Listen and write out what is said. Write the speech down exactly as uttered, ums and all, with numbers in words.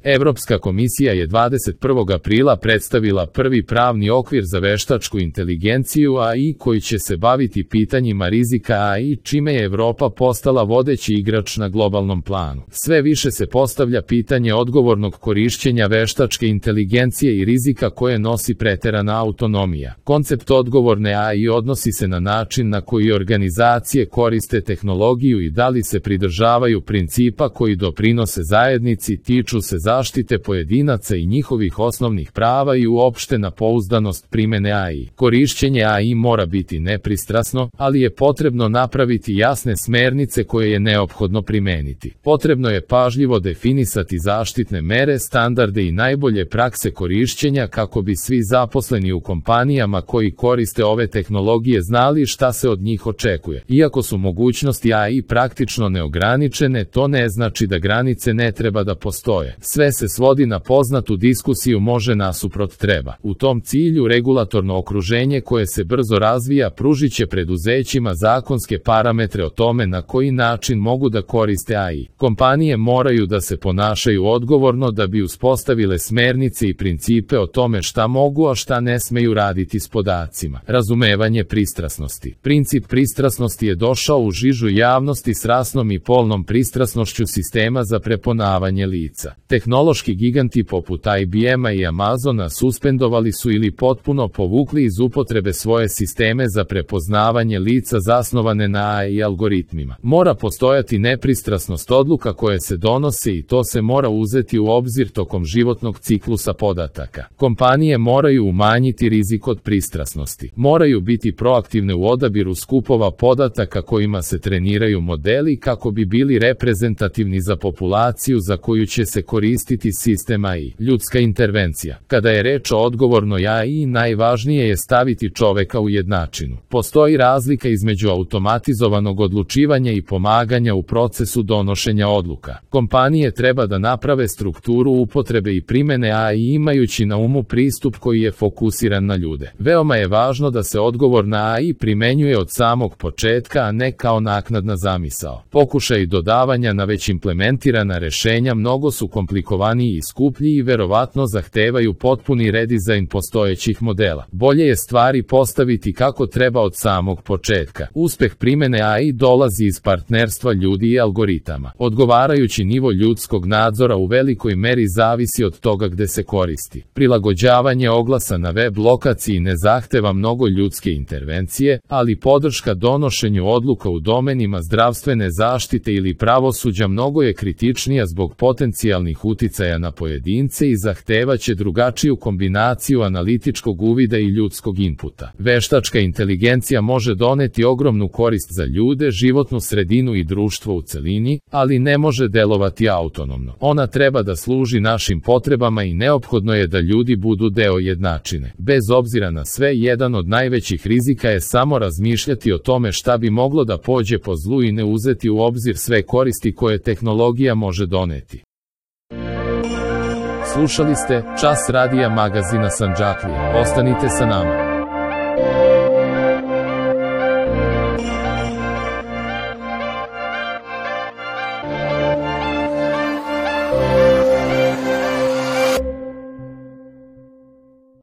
Evropska komisija je dvadeset prvog aprila predstavila prvi pravni okvir za veštačku inteligenciju A I koji će se baviti pitanjima rizika A I, čime je Evropa postala vodeći igrač na globalnom planu. Sve više se postavlja pitanje odgovornog korišćenja veštačke inteligencije i rizika koje nosi preterana autonomija. Koncept odgovorne A I odnosi se na način na koji organizacije koriste tehnologiju i da li se pridržavaju principa koji doprinose zajednici, tiču se zaštite pojedinaca i njihovih osnovnih prava i uopšte na pouzdanost primene A I. Korišćenje A I mora biti nepristrasno, ali je potrebno napraviti jasne smernice koje je neophodno primeniti. Potrebno je pažljivo definisati zaštitne mere, standarde i najbolje prakse korišćenja kako bi svi zaposleni u kompanijama koji koriste ove tehnologije znali šta se od njih očekuje. Iako su mogućnosti A I praktično neograničene, to ne znači da granice ne treba da postoje. Sve se svodi na poznatu diskusiju može nasuprot treba. U tom cilju regulatorno okruženje koje se brzo razvija pružit će preduzećima zakonske parametre o tome na koji način mogu da koriste A I. Kompanije moraju da se ponašaju odgovorno da bi uspostavile smernice i principe o tome šta mogu, a šta ne smeju raditi s podacima. Razumevanje pristrasnosti. Princip pristrasnosti je došao u žižu javnosti s rasnom i polnom pristrasnošću sistema za prepoznavanje lica. Tehnološki giganti poput I B M-a i Amazona suspendovali su ili potpuno povukli iz upotrebe svoje sisteme za prepoznavanje lica zasnovane na A I algoritmima. Mora postojati nepristrasnost odluka koje se donose i to se mora uzeti u obzir tokom životnog ciklusa podataka. Kompanije moraju umanjiti rizik od pristrasnosti. Moraju biti proaktivne u odabiru skupova podataka kojima se treniraju modeli kako bi bili reprezentativni za populaciju za koju će se koristiti sistem A I. Ljudska intervencija. Kada je reč o odgovornoj A I, najvažnije je staviti čoveka u jednačinu. Postoji razlika između automatizovanog odlučivanja i pomaganja u procesu donošenja odluka. Kompanije treba da naprave strukturu upotrebe i primene A I imajući na umu pristup koji je fokusiran na ljude. Veoma je važno da se odgovorna A I primenjuje od samog početka, a ne kao naknadna zamisao. Pokušaj dodavanja na već implementirana rešenja mnogo su komplikovaniji i skuplji i verovatno zahtevaju potpuni redizajn postojećih modela. Bolje je stvari postaviti kako treba od samog početka. Uspeh primene A I dolazi iz partnerstva ljudi i algoritama. Odgovarajući nivo ljudskog nadzora u velikoj meri zavisi od toga gde se koristi. Prilagođavanje oglasa na web lokaciji ne zahteva mnogo ljudske intervencije, ali podrška donošenju odluka u domenima zdravstvene zaštite ili pravosuđa mnogo je kritičnija zbog potencijalnih uticaja na pojedince i zahtevaće drugačiju kombinaciju analitičkog uvida i ljudskog inputa. Veštačka inteligencija može doneti ogromnu korist za ljude, životnu sredinu i društvo u celini, ali ne može delovati autonomno. Ona treba da služi našim potrebama i neophodno je da ljudi budu deo jednačine. Bez obzira na sve, jedan od najvećih rizika je samo razmišljati o tome šta bi moglo da pođe po zlu i ne uzeti u obzir sve koristi koje tehnologija može doneti. Slušali ste Čas radija magazina Sandžaklija. Ostanite sa nama.